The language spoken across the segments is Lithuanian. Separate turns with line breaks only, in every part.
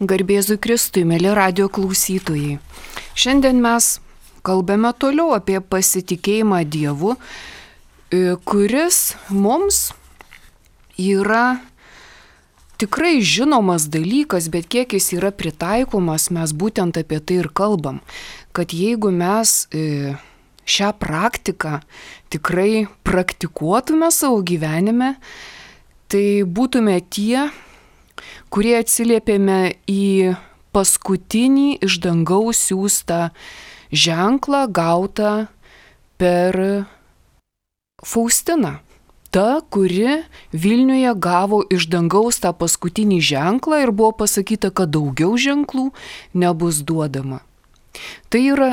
Garbėzui Kristui, mėly radio klausytojai. Šiandien mes kalbame toliau apie pasitikėjimą Dievu, kuris mums yra tikrai žinomas dalykas, bet kiek jis yra pritaikomas, mes būtent apie tai ir kalbam. Kad jeigu mes šią praktiką tikrai praktikuotume savo gyvenime, tai būtume tie, kurie atsiliepėme į paskutinį iš dangaus siųstą ženklą gautą per Faustiną. Ta, kuri Vilniuje gavo iš dangaus tą paskutinį ženklą ir buvo pasakyta, kad daugiau ženklų nebus duodama. Tai yra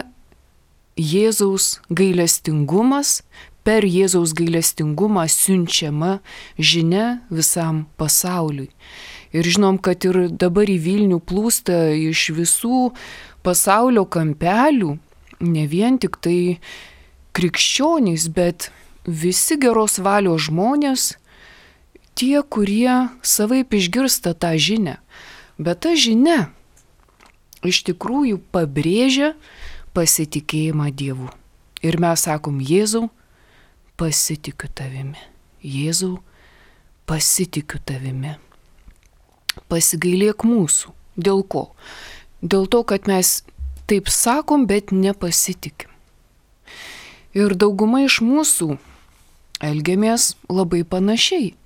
Jėzaus gailestingumas, per Jėzaus gailestingumą siunčiama žinia visam pasauliui. Ir žinom, kad ir dabar į Vilnių plūsta iš visų pasaulio kampelių, ne vien tik tai krikščionys, bet visi geros valios žmonės, tie, kurie savaip išgirsta tą žinią. Bet ta žinia iš tikrųjų pabrėžia pasitikėjimą Dievu. Ir mes sakom, Jėzau, pasitikiu tavimi. Jėzau, pasitikiu tavimi. Pasigailėk mūsų. Dėl ko? Dėl to, kad mes taip sakom, bet nepasitikim. Ir dauguma iš mūsų elgiamės labai panašiai.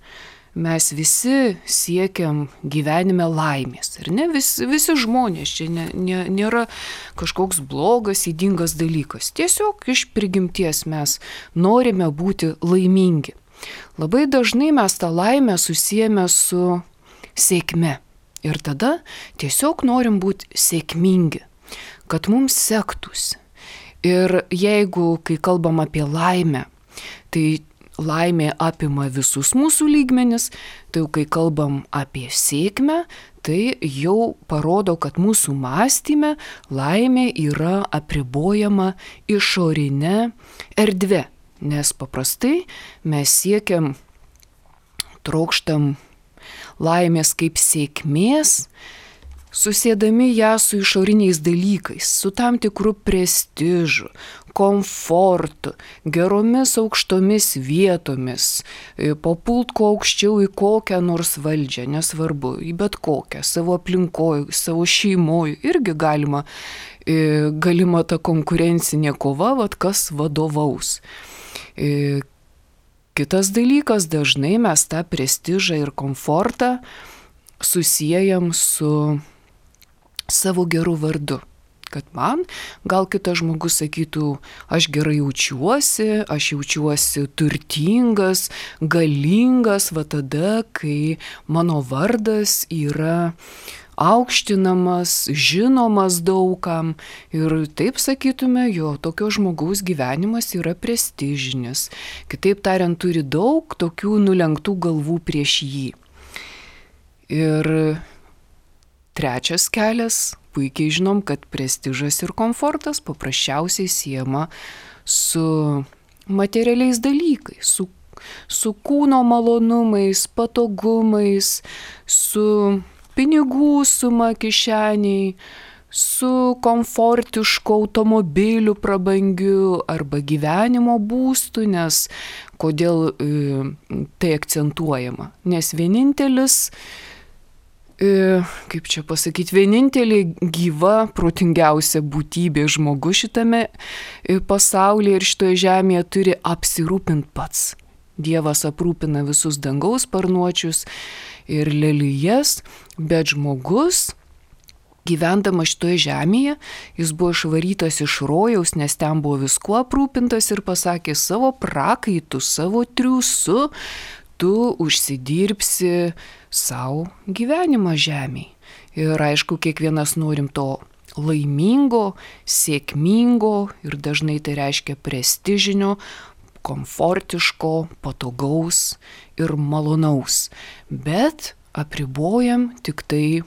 Mes visi siekiam gyvenime laimės. Ir ne visi žmonės, čia nėra kažkoks blogas, ydingas dalykas. Tiesiog iš prigimties mes norime būti laimingi. Labai dažnai mes tą laimę susiejame su sėkme. Ir tada tiesiog norim būti sėkmingi, kad mums sektųsi. Ir jeigu, kai kalbam apie laimę, tai laimė apima visus mūsų lygmenis, tai jau kai kalbam apie sėkmę, tai jau parodo, kad mūsų mąstyme laimė yra apribojama išorinė erdvė. Nes paprastai mes siekiam, trokštam laimės kaip sėkmės, susėdami ją su išoriniais dalykais, su tam tikru prestižu, komfortu, geromis aukštomis vietomis, papult kuo aukščiau į kokią nors valdžią, nesvarbu, į bet kokią, savo aplinkoje, savo šeimoje, irgi galima ta konkurencinė kova, kas vadovaus. Kitas dalykas, dažnai mes tą prestižą ir komfortą susiejam su savo geru vardu. Kad man gal kitas žmogus sakytų, aš gerai jaučiuosi turtingas, galingas, va tada, kai mano vardas yra aukštinamas, žinomas daugam ir taip sakytume, jo tokio žmogaus gyvenimas yra prestižinis. Kitaip tariant, turi daug tokių nulenktų galvų prieš jį. Ir trečias kelias, puikiai žinom, kad prestižas ir komfortas paprasčiausiai siejama su materialiais dalykais, su kūno malonumais, patogumais, su pinigų suma kišeniai, su komfortišku automobiliu prabangiu arba gyvenimo būstu, nes kodėl tai akcentuojama? Nes vienintelė gyva, protingiausia būtybė žmogus šitame pasaulyje ir šitoje žemėje turi apsirūpinti pats. Dievas aprūpina visus dangaus sparnuočius ir lelijas, bet žmogus, gyvendamas šitoje žemėje, jis buvo išvarytas iš rojaus, nes ten buvo viskuo aprūpintas ir pasakė, savo prakaitu, savo triūsu, tu užsidirbsi savo gyvenimą žemėje. Ir aišku, kiekvienas norim to laimingo, sėkmingo ir dažnai tai reiškia prestižinio, komfortiško, patogaus ir malonaus. Bet apribojam tik tai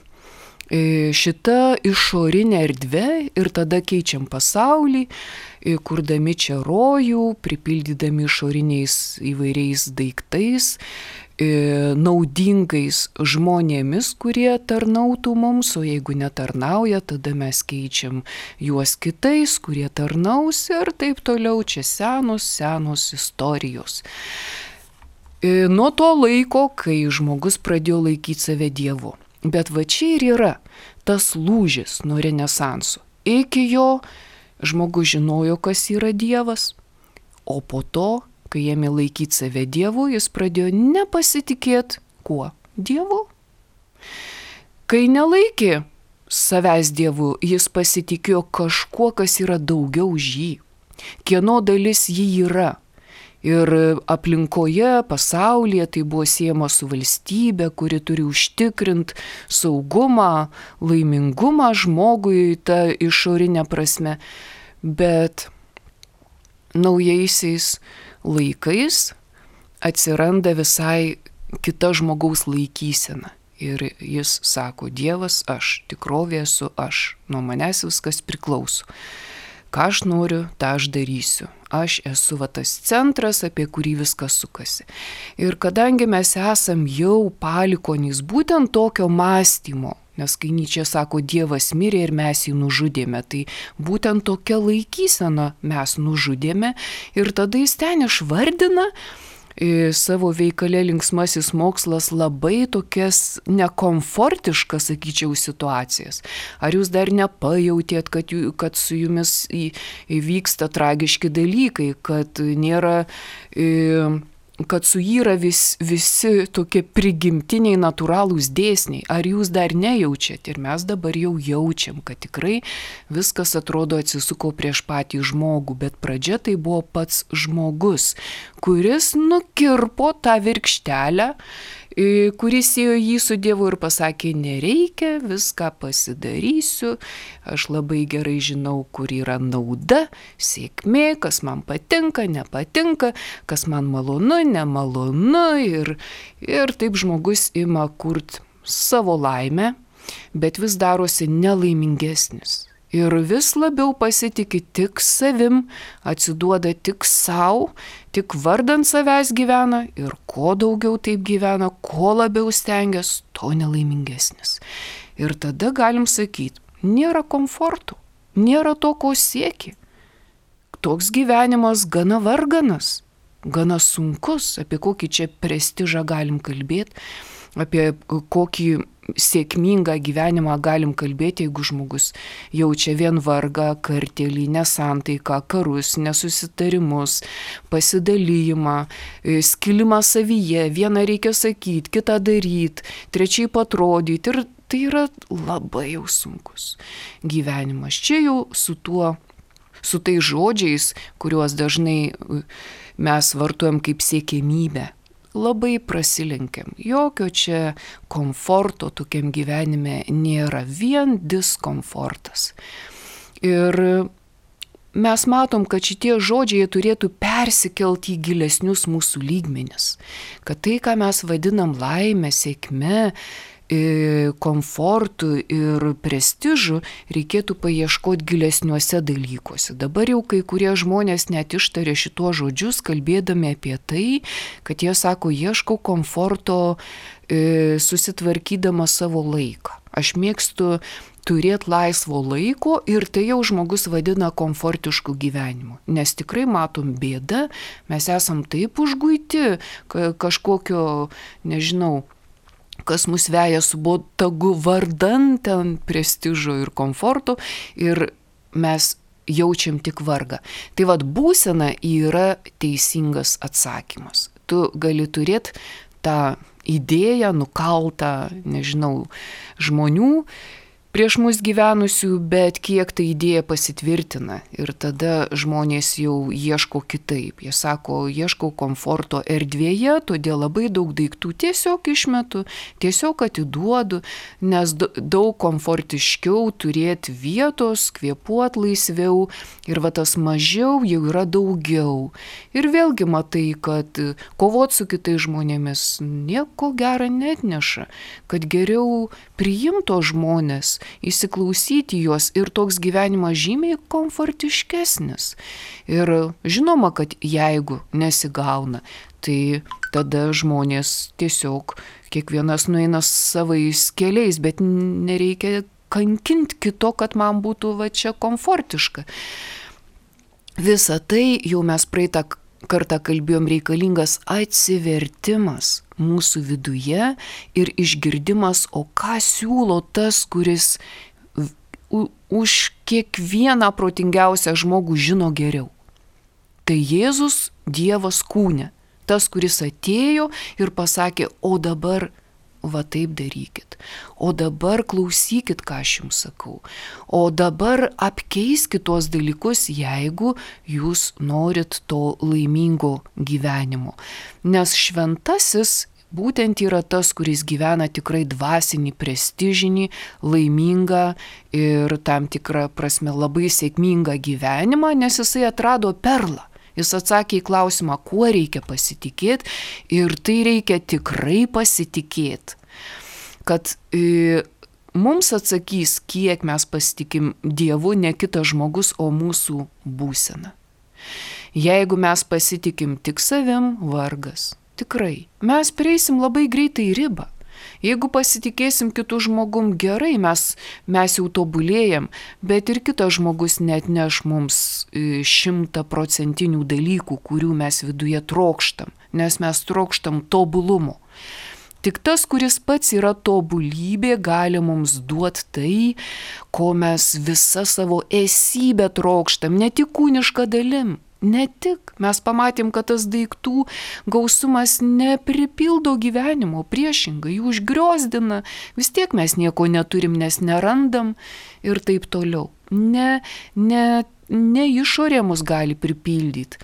šitą išorinę erdvę ir tada keičiam pasaulį, kurdami čia rojų, pripildydami išoriniais įvairiais daiktais naudingais žmonėmis, kurie tarnautų mums, o jeigu netarnauja, tada mes keičiam juos kitais, kurie tarnaus ir taip toliau. Čia senos istorijos. Nuo to laiko, kai žmogus pradėjo laikyti save Dievu. Bet va čia ir yra tas lūžis nuo Renesanso. Iki jo žmogus žinojo, kas yra Dievas, o po to, kai ėmė laikyti save Dievu, jis pradėjo nepasitikėti kuo? Dievu. Kai nelaikė savęs Dievu, jis pasitikėjo kažkuo, kas yra daugiau už jį. Kieno dalis jį yra. Ir aplinkoje, pasaulyje tai buvo siejama su valstybe, kuri turi užtikrinti saugumą, laimingumą žmogui, ta išorinė prasme. Bet naujaisiais laikais atsiranda visai kita žmogaus laikysena. Ir jis sako, Dievas aš, tikrovė esu aš, nuo manęs viskas priklauso. Ką aš noriu, tą aš darysiu. Aš esu va tas centras, apie kurį viskas sukasi. Ir kadangi mes esam jau palikonys būtent tokio mąstymo, nes kai Nyčė sako, Dievas mirė ir mes jį nužudėme, tai būtent tokia laikysena mes nužudėme ir tada jis ten išvardina savo veikale Linksmasis mokslas labai tokias nekomfortiškas, sakyčiau, situacijas. Ar jūs dar nepajautėt, kad su jumis įvyksta tragiški dalykai, kad nėra... kad suyra visi tokie prigimtiniai natūralūs dėsniai. Ar jūs dar nejaučiat? Ir mes dabar jau jaučiam, kad tikrai viskas atrodo atsisuko prieš patį žmogų, bet pradžia tai buvo pats žmogus, kuris nukirpo tą virkštelę, kuris ėjo jį su Dievu ir pasakė, nereikia, viską pasidarysiu, aš labai gerai žinau, kur yra nauda, sėkmė, kas man patinka, nepatinka, kas man malonu, nemalonu ir taip žmogus ima kurt savo laimę, bet vis darosi nelaimingesnis. Ir vis labiau pasitikė tik savim, atsiduoda tik savo, tik vardant savęs gyvena ir kuo daugiau taip gyvena, kuo labiau stengiasi, to nelaimingesnis. Ir tada galim sakyti, nėra komforto, nėra to, ko sieki. Toks gyvenimas gana varganas, gana sunkus, apie kokį čia prestižą galim kalbėti, apie kokį sėkmingą gyvenimą galim kalbėti, jeigu žmogus jaučia vien vargą, kartėlį, nesantaiką, karus, nesusitarimus, pasidalijimą, skilimą savyje, vieną reikia sakyti, kitą daryti, trečiai atrodyti ir tai yra labai jau sunkus gyvenimas. Čia jau su tais žodžiais, kuriuos dažnai mes vartojam kaip siekiamybę, labai prasilenkiam. Jokio čia komforto tokiam gyvenime nėra, vien diskomfortas. Ir mes matom, kad šitie žodžiai turėtų persikelti į gilesnius mūsų lygmenis. Kad tai, ką mes vadinam laimę, sėkme, komfortu ir prestižu, reikėtų paieškoti gilesniuose dalykuose. Dabar jau kai kurie žmonės net ištarė šituo žodžius, kalbėdami apie tai, kad jie sako, ieškau komforto susitvarkydama savo laiką. Aš mėgstu turėti laisvo laiko ir tai jau žmogus vadina komfortišku gyvenimu. Nes tikrai matom bėdą, mes esam taip užguiti kažkokio, nežinau, kas mus veja su botagu vardan ten prestižo ir komforto ir mes jaučiam tik vargą. Tai vad būsena yra teisingas atsakymas. Tu gali turėti tą idėją nukaltą, nežinau, žmonių prieš mus gyvenusių, bet kiek ta idėja pasitvirtina ir tada žmonės jau ieško kitaip. Jie sako, ieškau komforto erdvėje, todėl labai daug daiktų tiesiog išmetu, tiesiog atiduodu, nes daug komfortiškiau turėti vietos, kvėpuot laisviau ir va tas mažiau jau yra daugiau. Ir vėlgi matai, kad kovot su kitais žmonėmis nieko gero neatneša, kad geriau priimto žmonės, įsiklausyti juos ir toks gyvenimas žymiai komfortiškesnis. Ir žinoma, kad jeigu nesigauna, tai tada žmonės tiesiog kiekvienas nueina savais keliais, bet nereikia kankinti kito, kad man būtų va čia komfortiška. Visa tai jau mes praeitą kartą kalbėjom, reikalingas atsivertimas mūsų viduje ir išgirdimas, o ką siūlo tas, kuris už kiekvieną protingiausią žmogų žino geriau. Tai Jėzus Dievas kūne, tas, kuris atėjo ir pasakė, o dabar va taip darykit, o dabar klausykit, ką aš jums sakau, o dabar apkeiskit tuos dalykus, jeigu jūs norit to laimingo gyvenimo. Nes šventasis būtent yra tas, kuris gyvena tikrai dvasinį, prestižinį, laimingą ir tam tikrą prasme labai sėkmingą gyvenimą, nes jisai atrado perlą. Jis atsakė į klausimą, kuo reikia pasitikėti, ir tai reikia tikrai pasitikėti, kad mums atsakys, kiek mes pasitikim Dievu, ne kitas žmogus, o mūsų būsena. Jeigu mes pasitikim tik savim, vargas. Tikrai. Mes prieisim labai greitai ribą. Jeigu pasitikėsim kitų žmogum, gerai, mes jau tobulėjam, bet ir kitas žmogus neatneš mums 100% dalykų, kurių mes viduje trokštam, nes mes trokštam tobulumo. Tik tas, kuris pats yra tobulybė, gali mums duoti tai, ko mes visą savo esybę trokštam, ne tik kūnišką dalim. Ne tik. Mes pamatėm, kad tas daiktų gausumas nepripildo gyvenimo, priešingai, jų užgriozdina. Vis tiek mes nieko neturim, nes nerandam ir taip toliau. Ne išorė mus gali pripildyti,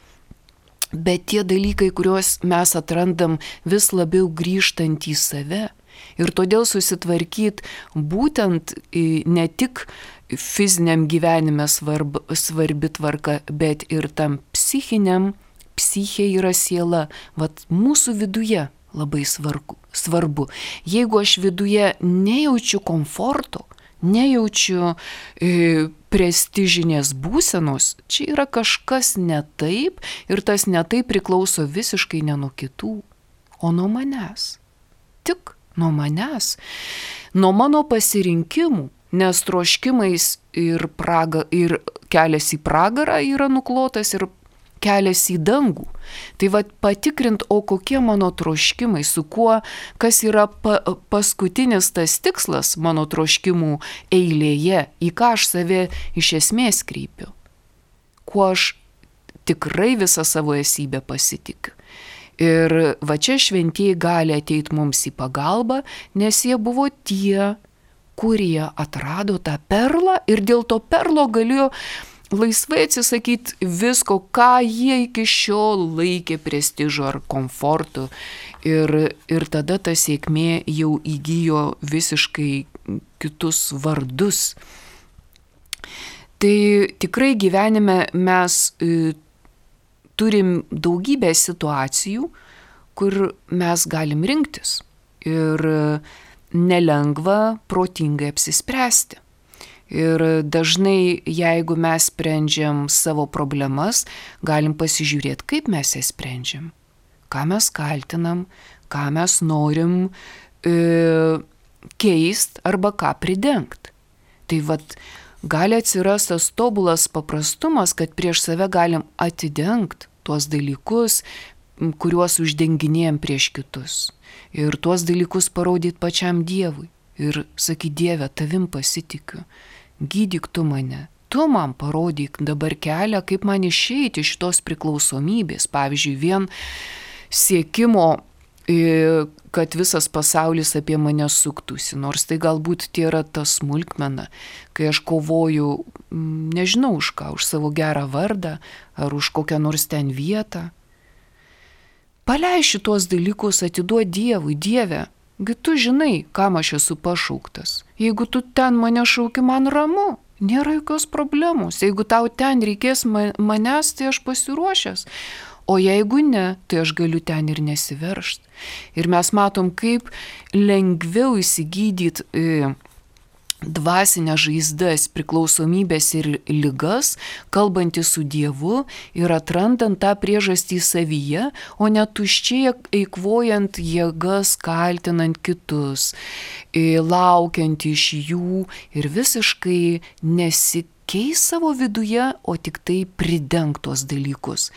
bet tie dalykai, kuriuos mes atrandam vis labiau grįžtant į save. Ir todėl susitvarkyti būtent ne tik fiziniam gyvenime svarbi tvarka, bet ir tam psichiniam, psichė yra siela, vat mūsų viduje labai svarbu. Jeigu aš viduje nejaučiu komforto, nejaučiu prestižinės būsenos, čia yra kažkas ne taip ir tas ne taip priklauso visiškai ne nuo kitų, o nuo manęs. Tik nuo manęs, nuo mano pasirinkimų. Nes troškimais ir kelias į pragarą yra nuklotas ir kelias į dangų. Tai va patikrint, o kokie mano troškimai, su kuo, kas yra paskutinis tas tikslas mano troškimų eilėje, į ką aš save iš esmės kreipiu, kuo aš tikrai visą savo esybę pasitikiu. Ir va čia šventieji gali ateiti mums į pagalbą, nes jie buvo tie, kurie atrado tą perlą ir dėl to perlo galėjo laisvai atsisakyti visko, ką jie iki šiol laikė prestižu ar komfortu. Ir tada ta sėkmė jau įgijo visiškai kitus vardus. Tai tikrai gyvenime mes turim daugybę situacijų, kur mes galim rinktis. Ir nelengva protingai apsispręsti. Ir dažnai, jeigu mes sprendžiam savo problemas, galim pasižiūrėti, kaip mes jas sprendžiam, ką mes kaltinam, ką mes norim keist arba ką pridengt. Tai vat gali atsirasti tas tobulas paprastumas, kad prieš save galim atidengt tuos dalykus, kuriuos uždenginėjom prieš kitus. Ir tuos dalykus parodyti pačiam Dievui. Ir sakyti, Dieve, tavim pasitikiu. Gydyk tu mane. Tu man parodyk dabar kelią, kaip man išeiti iš šitos priklausomybės. Pavyzdžiui, vien siekimo, kad visas pasaulis apie mane suktųsi. Nors tai galbūt tai yra ta smulkmena, kai aš kovoju, nežinau už ką, už savo gerą vardą ar už kokią nors ten vietą. Paleis šitos dalykus, atiduok Dievui. Dieve, tu žinai, kam aš esu pašauktas. Jeigu tu ten mane šauki, man ramu, nėra jokios problemos. Jeigu tau ten reikės manęs, tai aš pasiruošęs. O jeigu ne, tai aš galiu ten ir nesiveržti. Ir mes matom, kaip lengviau įsigydyti dvasinės žaizdas, priklausomybės ir ligas, kalbantys su Dievu ir atrandant tą priežastį savyje, o ne tuščiai eikvojant jėgas, kaltinant kitus, laukiant iš jų ir visiškai nesikeis savo viduje, o tik tai pridengt tuos dalykus.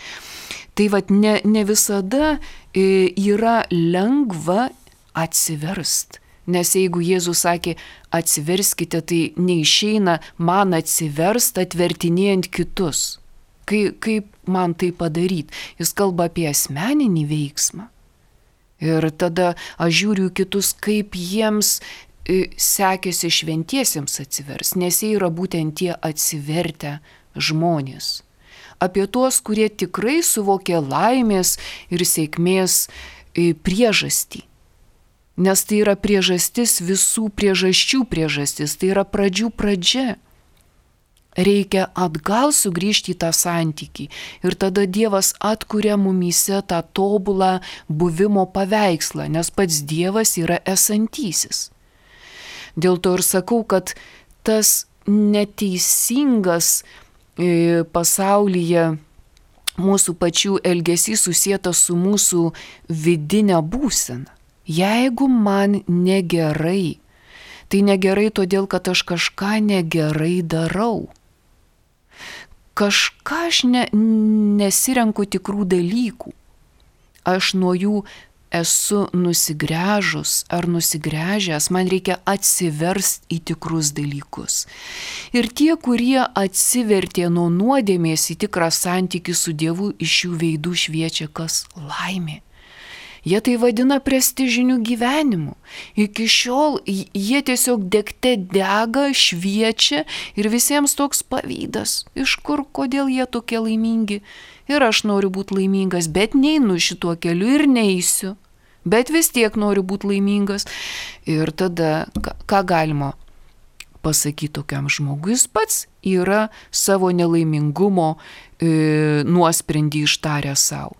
Tai vat ne visada yra lengva atsiverst. Nes jeigu Jėzus sakė, atsiverskite, tai neišeina man atsiverst atvertinėjant kitus. Kaip man tai padaryti? Jis kalba apie asmeninį veiksmą. Ir tada aš žiūriu kitus, kaip jiems sekėsi šventiesiems atsivers, nes jie yra būtent tie atsivertę žmonės. Apie tuos, kurie tikrai suvokė laimės ir sėkmės priežastį. Nes tai yra priežastis visų priežasčių priežastis, tai yra pradžių pradžia. Reikia atgal sugrįžti į tą santykį ir tada Dievas atkuria mumyse tą tobulą buvimo paveikslą, nes pats Dievas yra esantysis. Dėl to ir sakau, kad tas neteisingas pasaulyje mūsų pačių elgesys susietas su mūsų vidinė būsena. Jeigu man negerai, tai negerai todėl, kad aš kažką negerai darau. Kažką aš nesirenku tikrų dalykų. Aš nuo jų esu nusigręžus ar nusigręžęs, man reikia atsiverst į tikrus dalykus. Ir tie, kurie atsivertė nuo nuodėmės į tikrą santykį su Dievu, iš jų veidų šviečia kas? Laimė. Jie tai vadina prestižiniu gyvenimu. Iki šiol jie tiesiog degte dega, šviečia ir visiems toks pavydas. Iš kur, kodėl jie tokie laimingi? Ir aš noriu būti laimingas, bet neinu šituo keliu ir neisiu. Bet vis tiek noriu būti laimingas. Ir tada, ką galima pasakyti tokiam žmogui? Jis pats yra savo nelaimingumo nuosprendį ištaręs savo.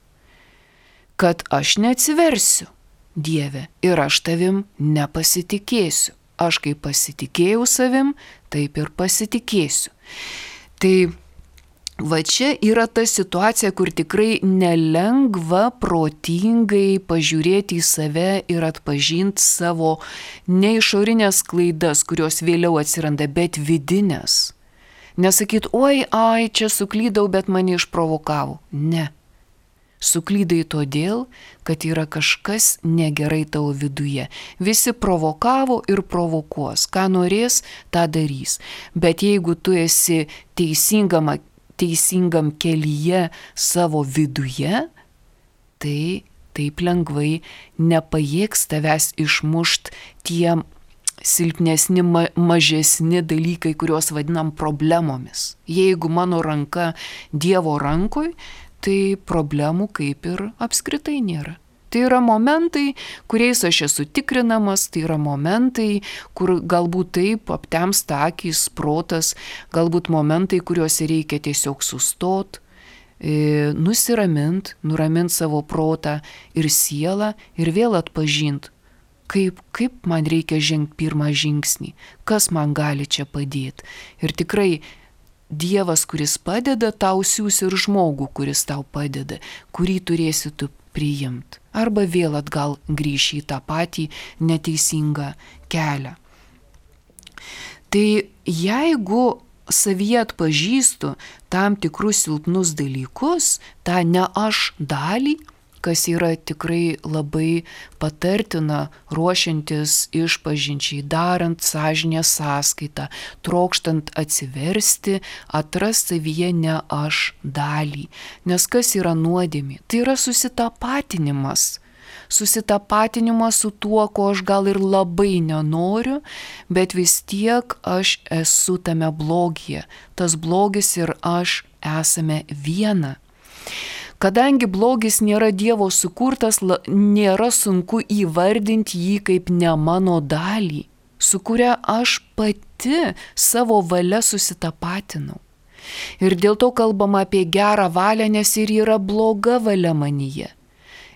Kad aš neatsiversiu, Dieve, ir aš tavim nepasitikėsiu. Aš kaip pasitikėjau savim, taip ir pasitikėsiu. Tai va čia yra ta situacija, kur tikrai nelengva protingai pažiūrėti į save ir atpažinti savo ne išorinės klaidas, kurios vėliau atsiranda, bet vidinės. Nesakyt, oi, čia suklydau, bet mane išprovokavo. Ne. Suklydai todėl, kad yra kažkas negerai tavo viduje. Visi provokavo ir provokuos. Ką norės, tą darys. Bet jeigu tu esi teisingam kelyje savo viduje, tai taip lengvai nepajėgs tavęs išmušt tie silpnesni, mažesni dalykai, kuriuos vadinam problemomis. Jeigu mano ranka Dievo rankoj, tai problemų kaip ir apskritai nėra. Tai yra momentai, kuriais aš esu tikrinamas, tai yra momentai, kur galbūt taip aptemsta akys, protas, galbūt momentai, kuriuose reikia tiesiog sustot, nuramint savo protą ir sielą ir vėl atpažint, kaip man reikia žengti pirmą žingsnį, kas man gali čia padėti. Ir tikrai Dievas, kuris padeda, tau siūs ir žmogų, kuris tau padeda, kurį turėsi tu priimti. Arba vėl atgal grįši į tą patį neteisingą kelią. Tai jeigu savyje atpažįstu tam tikrus silpnus dalykus, tą ne aš dalį, kas yra tikrai labai patartina ruošiantis išpažinčiai, darant sąžinės sąskaitą, trokštant atsiversti, atrasti savyje ne aš dalį. Nes kas yra nuodėmė? Tai yra susitapatinimas. Susitapatinimas su tuo, ko aš gal ir labai nenoriu, bet vis tiek aš esu tame blogyje. Tas blogis ir aš esame viena. Kadangi blogis nėra Dievo sukurtas, nėra sunku įvardinti jį kaip ne mano dalį, su kuria aš pati savo valia susitapatinau. Ir dėl to kalbama apie gerą valią, nes ir yra bloga valia manyje.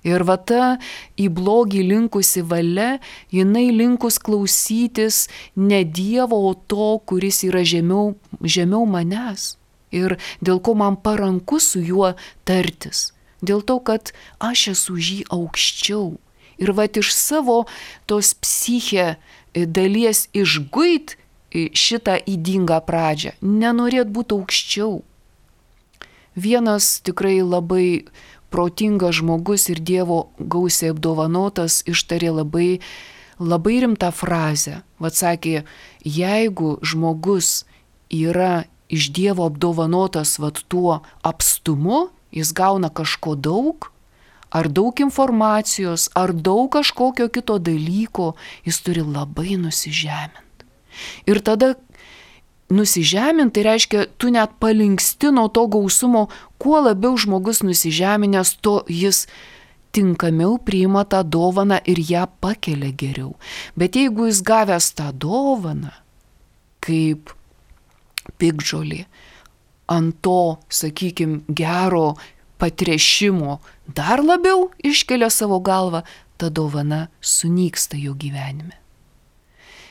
Ir va ta į blogį linkusi valia, jinai linkus klausytis ne Dievo, o to, kuris yra žemiau manęs. Ir dėl ko man paranku su juo tartis. Dėl to, kad aš esu už jį aukščiau. Ir va iš savo tos psichė dalies išguit šitą ydingą pradžią. Nenorėt būti aukščiau. Vienas tikrai labai protingas žmogus ir Dievo gausiai apdovanotas ištarė labai rimtą frazę. Vat sakė, jeigu žmogus yra iš Dievo apdovanotas vat tuo apstumu, jis gauna kažko daug, ar daug informacijos, ar daug kažkokio kito dalyko, jis turi labai nusižeminti. Ir tada nusižeminti, tai reiškia, tu net palinksti nuo to gausumo, kuo labiau žmogus nusižeminęs, to jis tinkamiau priima tą dovaną ir ją pakelia geriau. Bet jeigu jis gavęs tą dovaną, kaip piktžolė, ant to, sakykime, gero patrešimo dar labiau iškelia savo galvą, ta dovana sunyksta jo gyvenime.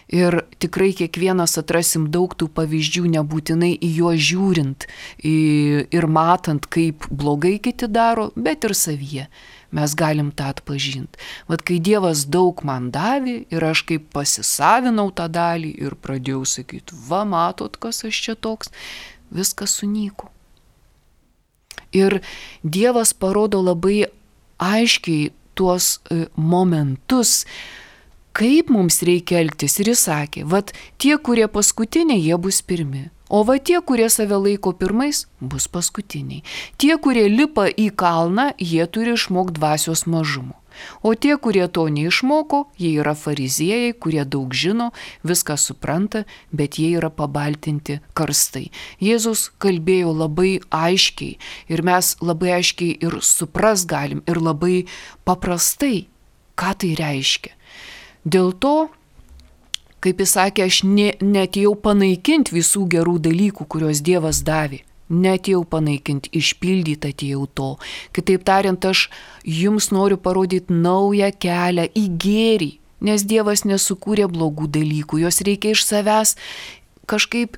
Ir tikrai kiekvienas atrasim daug tų pavyzdžių, nebūtinai į juos žiūrint ir matant, kaip blogai kiti daro, bet ir savyje. Mes galim tą atpažinti. Vat kai Dievas daug man davė ir aš kaip pasisavinau tą dalį ir pradėjau sakyti, va matot, kas aš čia toks, viskas sunyko. Ir Dievas parodo labai aiškiai tuos momentus, kaip mums reikia elgtis. Ir jis sakė, vat tie, kurie paskutiniai, jie bus pirmi. O va tie, kurie save laiko pirmais, bus paskutiniai. Tie, kurie lipa į kalną, jie turi išmokti dvasios mažumo. O tie, kurie to neišmoko, jie yra fariziejai, kurie daug žino, viską supranta, bet jie yra pabaltinti karstai. Jėzus kalbėjo labai aiškiai ir mes labai aiškiai ir supras galim ir labai paprastai, ką tai reiškia. Dėl to, kaip jis sakė, aš neatėjau panaikinti visų gerų dalykų, kuriuos Dievas davė. Neatėjau panaikinti, išpildyti atėjau to. Kitaip tariant, aš jums noriu parodyti naują kelią į gėrį, nes Dievas nesukūrė blogų dalykų, jos reikia iš savęs kažkaip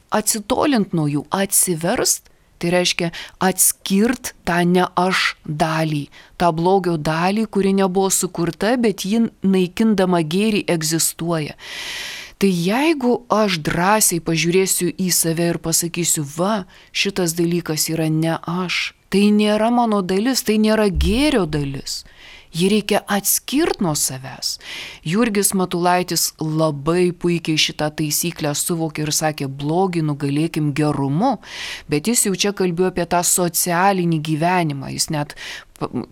atsitolint nuo jų, atsiverst. Tai reiškia atskirt tą ne aš dalį, tą blogio dalį, kuri nebuvo sukurta, bet ji naikindama gėrį egzistuoja. Tai jeigu aš drąsiai pažiūrėsiu į save ir pasakysiu, va, šitas dalykas yra ne aš, tai nėra mano dalis, tai nėra gėrio dalis. Jį reikia atskirti nuo savęs. Jurgis Matulaitis labai puikiai šitą taisyklę suvokė ir sakė, blogį nugalėkim gerumu, bet jis jau čia kalbėjo apie tą socialinį gyvenimą. Jis net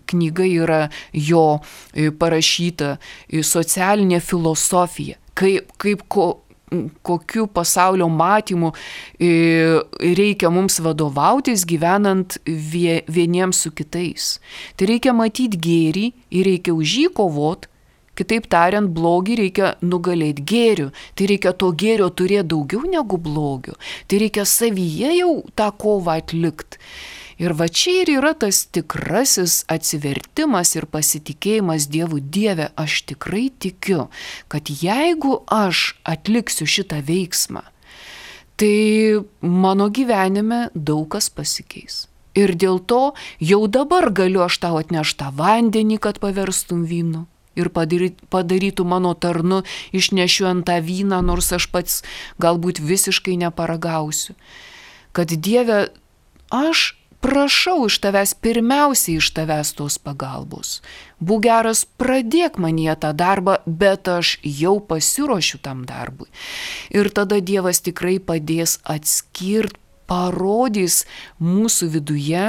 knyga yra jo parašyta, socialinė filosofija, kokiu pasaulio matymu reikia mums vadovautis gyvenant vieniems su kitais. Tai reikia matyti gėrį ir reikia už jį kovot, kitaip tariant, blogį reikia nugalėti gėriu. Tai reikia to gėrio turėti daugiau negu blogio. Tai reikia savyje jau tą kovą atlikti. Ir va čia ir yra tas tikrasis atsivertimas ir pasitikėjimas Dievu. Dieve, aš tikrai tikiu, kad jeigu aš atliksiu šitą veiksmą, tai mano gyvenime daug kas pasikeis. Ir dėl to jau dabar galiu aš tau atnešti tą vandenį, kad paverstum vynu. Ir padarytų mano tarnu išnešiuojant tą vyną, nors aš pats galbūt visiškai neparagausiu. Kad Dieve, aš prašau iš tavęs, pirmiausiai iš tavęs tos pagalbos. Būk geras, pradėk manyje tą darbą, bet aš jau pasiruošiu tam darbui. Ir tada Dievas tikrai padės atskirti, parodys mūsų viduje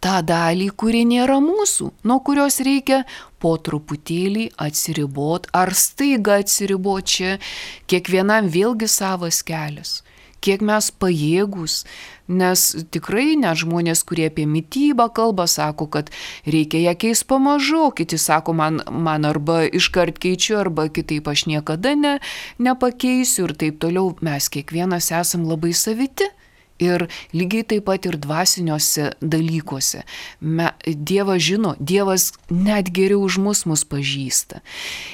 tą dalį, kuri nėra mūsų, nuo kurios reikia po truputėlį atsiribot, ar staiga atsiribot. Čia kiekvienam vėlgi savas kelias. Kiek mes pajėgus, nes tikrai net žmonės, kurie apie mitybą kalba, sako, kad reikia ją keisti pamažu, kiti sako, man arba iškart keičiu, arba kitaip aš niekada nepakeisiu ir taip toliau. Mes kiekvienas esam labai saviti Ir lygiai taip pat ir dvasiniuose dalykuose. Dievas žino, Dievas net geriau už mus pažįsta.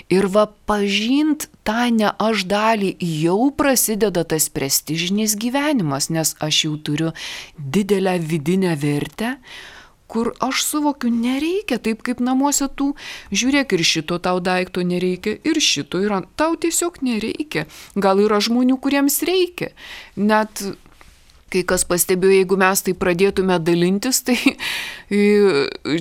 Ir va pažint tą ne aš dalį jau prasideda tas prestižinis gyvenimas, nes aš jau turiu didelę vidinę vertę, kur aš suvokiu, nereikia taip kaip namuose tų, žiūrėk, ir šito tau daikto nereikia, ir šito yra, tau tiesiog nereikia. Gal yra žmonių, kuriems reikia. Net kai kas pastebėjo, jeigu mes tai pradėtume dalintis, tai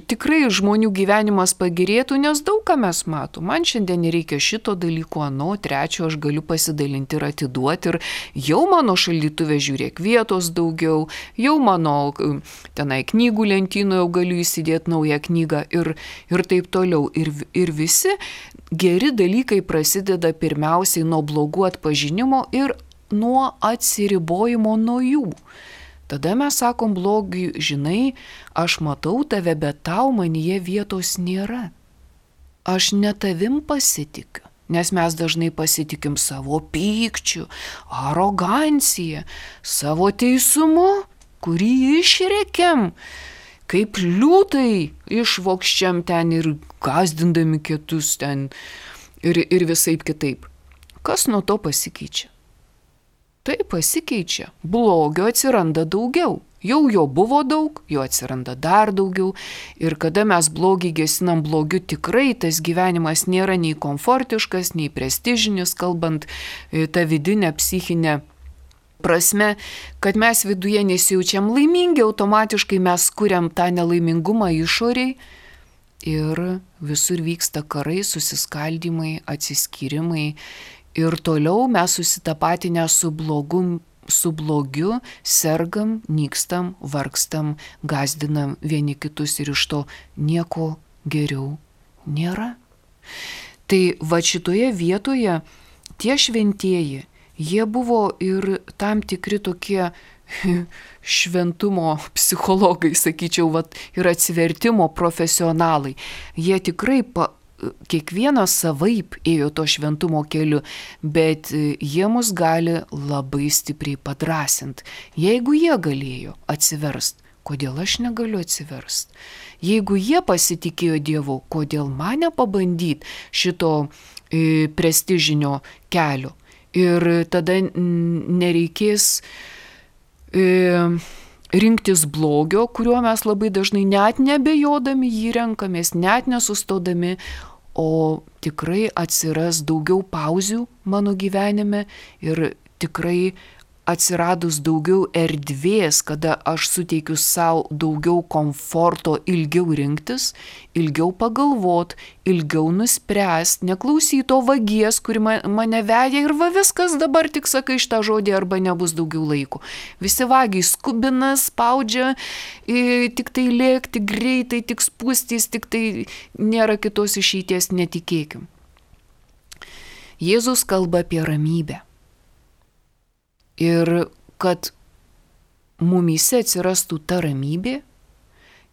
tikrai žmonių gyvenimas pagerėtų, nes daug ką mes matom. Man šiandien nereikia šito dalyko, trečio aš galiu pasidalinti ir atiduoti. Ir jau mano šaldytuve, žiūrėk, vietos daugiau, jau mano tenai knygų lentynoje galiu įsidėti naują knygą ir taip toliau. Ir visi geri dalykai prasideda pirmiausiai nuo blogų atpažinimo ir nuo atsiribojimo nuo jų. Tada mes sakom blogiui, žinai, aš matau tave, bet tau manyje vietos nėra. Aš ne tavim pasitikiu, nes mes dažnai pasitikim savo pykčiu, arogancija, savo teisumu, kurį išrekiam, kaip liūtai išvokščiam ten ir gąsdindami kitus ten ir visaip kitaip. Kas nuo to pasikeičia? Tai pasikeičia. Blogio atsiranda daugiau. Jau jo buvo daug, jo atsiranda dar daugiau. Ir kada mes blogį gesinam blogiu, tikrai tas gyvenimas nėra nei komfortiškas, nei prestižinis, kalbant tą vidinę psichinę prasme, kad mes viduje nesijaučiam laimingi, automatiškai mes kuriam tą nelaimingumą išoriai. Ir visur vyksta karai, susiskaldymai, atsiskyrimai. Ir toliau mes susitapatinę su blogiu, sergam, nykstam, vargstam, gąsdinam vieni kitus ir iš to nieko geriau nėra. Tai va šitoje vietoje tie šventieji, jie buvo ir tam tikri tokie šventumo psichologai, sakyčiau, ir atsivertimo profesionalai. Jie tikrai kiekvienas savaip ėjo to šventumo keliu, bet jie mus gali labai stipriai padrąsinti. Jeigu jie galėjo atsiverst, kodėl aš negaliu atsiverst? Jeigu jie pasitikėjo Dievu, kodėl man nepabandyti šito prestižinio kelio? Ir tada nereikės rinktis blogio, kuriuo mes labai dažnai net nebejodami jį renkamės, net nesustodami, o tikrai atsiras daugiau pauzių mano gyvenime ir tikrai atsiradus daugiau erdvės, kada aš suteikiu savo daugiau komforto ilgiau rinktis, ilgiau pagalvot, ilgiau nuspręst, neklausyti to vagies, kuri mane veja ir va viskas dabar tik sakai šitą žodį arba nebus daugiau laiko. Visi vagiai skubina, spaudžia, tik tai lėkti greitai, tik spūstys, tik tai nėra kitos išeities, netikėkim. Jėzus kalba apie ramybę. Ir kad mumyse atsirastų ta ramybė,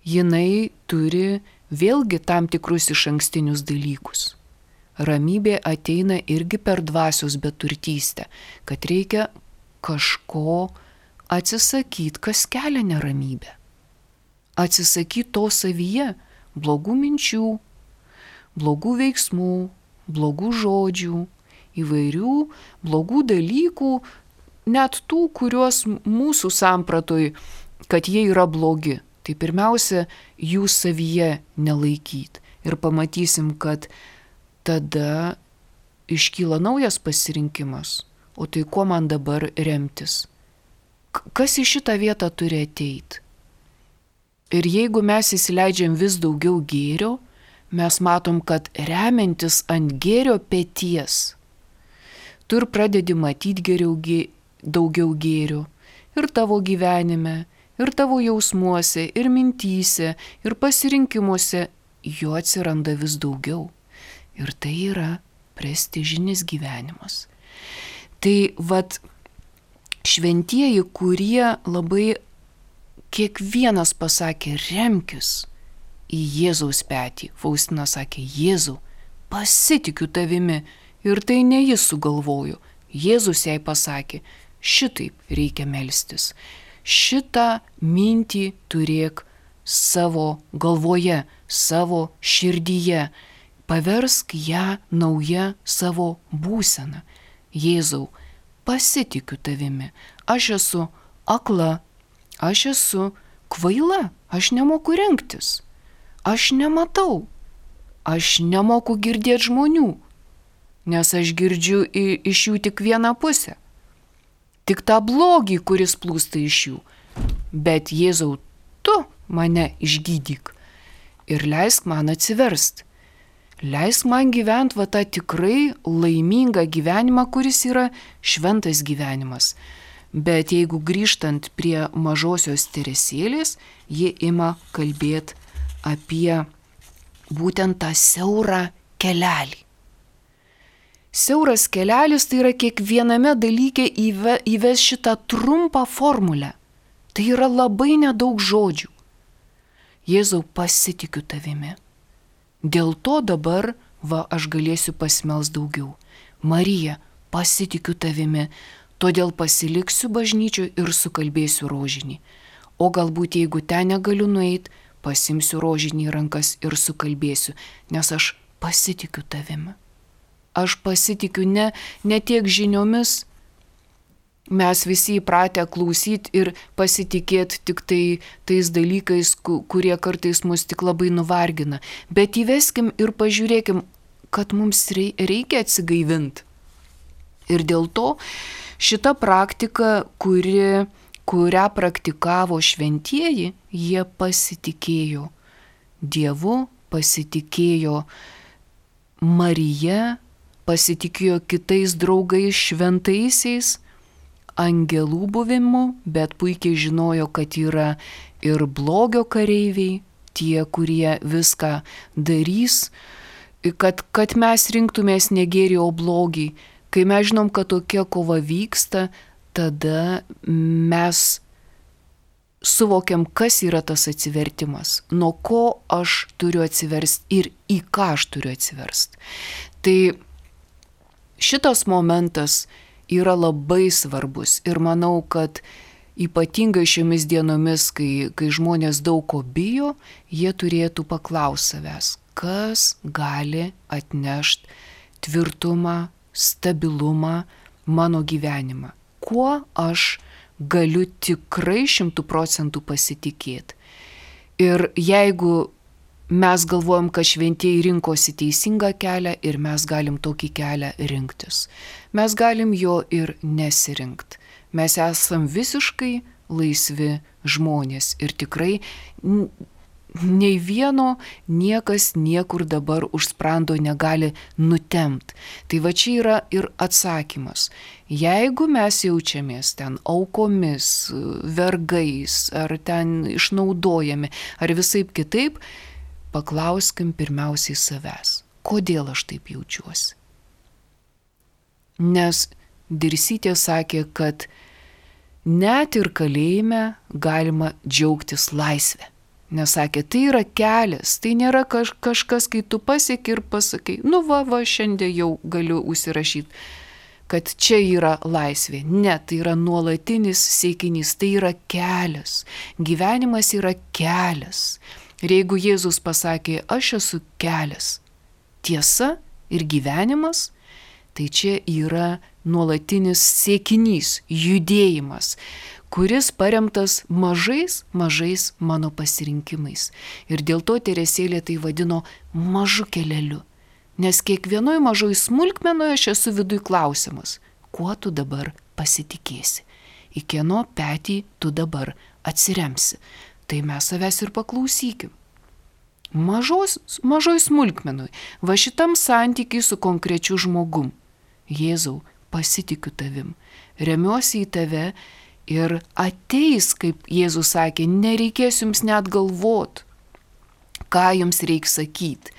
jinai turi vėlgi tam tikrus išankstinius dalykus. Ramybė ateina irgi per dvasios beturtystę, kad reikia kažko atsisakyti, kas kelia neramybę. Atsisakyti to savyje, blogų minčių, blogų veiksmų, blogų žodžių, įvairių blogų dalykų, net tų, kuriuos mūsų sampratoj, kad jie yra blogi. Tai pirmiausia, jų savyje nelaikyti. Ir pamatysim, kad tada iškyla naujas pasirinkimas. O tai kuo man dabar remtis? Kas į šitą vietą turi ateiti? Ir jeigu mes įsileidžiam vis daugiau gėrio, mes matom, kad remiantis ant gėrio peties, tu ir pradedi matyti daugiau gėrio ir tavo gyvenime, ir tavo jausmuose, ir mintyse, ir pasirinkimuose, jo atsiranda vis daugiau. Ir tai yra prestižinis gyvenimas. Tai šventieji, kurie labai kiekvienas pasakė remkis į Jėzaus petį. Faustina sakė, Jėzau, pasitikiu tavimi. Ir tai ne jis sugalvojo. Jėzus jai pasakė, šitaip reikia melstis. šitą mintį turėk savo galvoje, savo širdyje. Paversk ją nauja savo būsena. Jėzau, pasitikiu tavimi. Aš esu akla, aš esu kvaila, aš nemoku rinktis. Aš nematau, aš nemoku girdėti žmonių, nes aš girdžiu iš jų tik vieną pusę. Tik tą blogį, kuris plūsta iš jų. Bet Jėzau, tu mane išgydyk ir leisk man atsiverst. Leisk man gyventi tą tikrai laimingą gyvenimą, kuris yra šventas gyvenimas. Bet jeigu grįžtant prie mažosios Teresėlės, ji ima kalbėti apie būtent tą siaurą kelelį. Siauras kelelis tai yra kiekviename dalyke įves šitą trumpą formulę. Tai yra labai nedaug žodžių. Jėzau, pasitikiu tavimi. Dėl to dabar aš galėsiu pasimelst daugiau. Marija, pasitikiu tavimi, todėl pasiliksiu bažnyčioj ir sukalbėsiu rožinį. O galbūt jeigu ten negaliu nueiti, pasimsiu rožinį į rankas ir sukalbėsiu, nes aš pasitikiu tavimi. Aš pasitikiu ne tiek žiniomis. Mes visi įpratę klausyti ir pasitikėti tik tais dalykais, kurie kartais mus tik labai nuvargina. Bet įveskim ir pažiūrėkim, kad mums reikia atsigaivinti. Ir dėl to šita praktika, kurią praktikavo šventieji, jie pasitikėjo Dievu, pasitikėjo Marija, pasitikėjo kitais draugais šventaisiais, angelų buvimu, bet puikiai žinojo, kad yra ir blogio kareiviai, tie, kurie viską darys, kad mes rinktumės ne gėrį, o blogį. Kai mes žinom, kad tokia kova vyksta, tada mes suvokiam, kas yra tas atsivertimas, nuo ko aš turiu atsiversti ir į ką aš turiu atsiversti. Tai šitas momentas yra labai svarbus ir manau, kad ypatingai šiomis dienomis, kai žmonės daug ko bijo, jie turėtų paklausti savęs, kas gali atnešti tvirtumą, stabilumą mano gyvenimą. Kuo aš galiu tikrai 100% pasitikėti. Ir jeigu mes galvojam, kad šventieji rinkosi teisingą kelią ir mes galim tokį kelią rinktis. Mes galim jo ir nesirinkti. Mes esam visiškai laisvi žmonės ir tikrai nei vieno niekas niekur dabar už sprando negali nutempt. Tai va čia yra ir atsakymas. Jeigu mes jaučiamės ten aukomis, vergais, ar ten išnaudojami, ar visaip kitaip, paklauskim pirmiausiai savęs, kodėl aš taip jaučiuosi. Nes Dirsytė sakė, kad net ir kalėjime galima džiaugtis laisvę. Nes sakė, tai yra kelias, tai nėra kažkas, kai tu pasieki ir pasakai, šiandien jau galiu užsirašyti, kad čia yra laisvė. Ne, tai yra nuolatinis siekinys, tai yra kelias. Gyvenimas yra kelias. Ir jeigu Jėzus pasakė, aš esu kelias, tiesa ir gyvenimas, tai čia yra nuolatinis siekinys, judėjimas, kuris paremtas mažais mano pasirinkimais. Ir dėl to Teresėlė tai vadino mažu keleliu. Nes kiekvienoj mažoj smulkmenoje aš esu viduj klausimas, kuo tu dabar pasitikėsi, į kieno petį tu dabar atsiremsi. Tai mes savęs ir paklausykim. Mažoj smulkmenui, va šitam santykiai su konkrečiu žmogum. Jėzau, pasitikiu tavim, remiuosi į tave ir ateis, kaip Jėzus sakė, nereikės jums net galvot, ką jums reikia sakyti.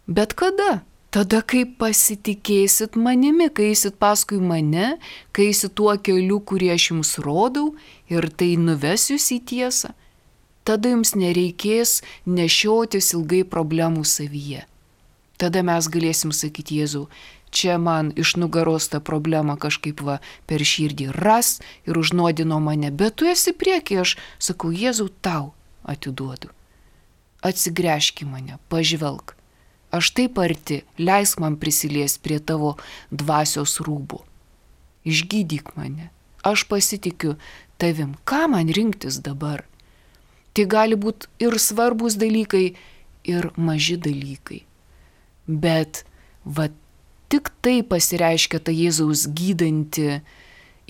Bet kada? Tada, kai pasitikėsit manimi, kai eisit paskui mane, kai eisit tuo keliu, kurį aš jums rodau ir tai nuves jūs į tiesą, tada jums nereikės nešiotis ilgai problemų savyje. Tada mes galėsim sakyti, Jėzau, čia man iš nugaros tą problemą kažkaip va per širdį ras ir užnuodino mane, bet tu esi priekyje, aš sakau, Jėzau, tau atiduodu. Atsigręžk į mane, pažvelk. Aš taip arti, leisk man prisiliesti prie tavo dvasios rūbų. Išgydyk mane. Aš pasitikiu tavim. Ką man rinktis dabar? Tai gali būti ir svarbus dalykai, ir maži dalykai. Bet va tik tai pasireiškia ta Jėzaus gydanti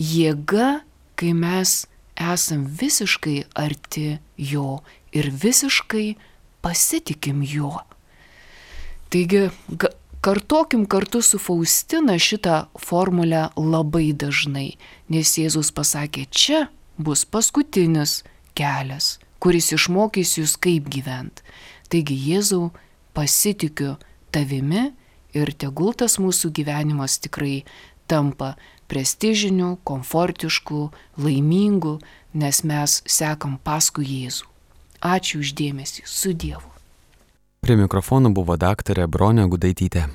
jėga, kai mes esam visiškai arti jo ir visiškai pasitikim juo. Taigi, kartokim kartu su Faustina šitą formulę labai dažnai, nes Jėzus pasakė, čia bus paskutinis kelias, kuris išmokys jūs kaip gyventi. Taigi, Jėzau, pasitikiu tavimi ir tegul tas mūsų gyvenimas tikrai tampa prestižiniu, komfortišku, laimingu, nes mes sekam paskui Jėzų. Ačiū už dėmesį, su Dievu.
Prie mikrofono buvo daktarė Bronė Gudaitytė.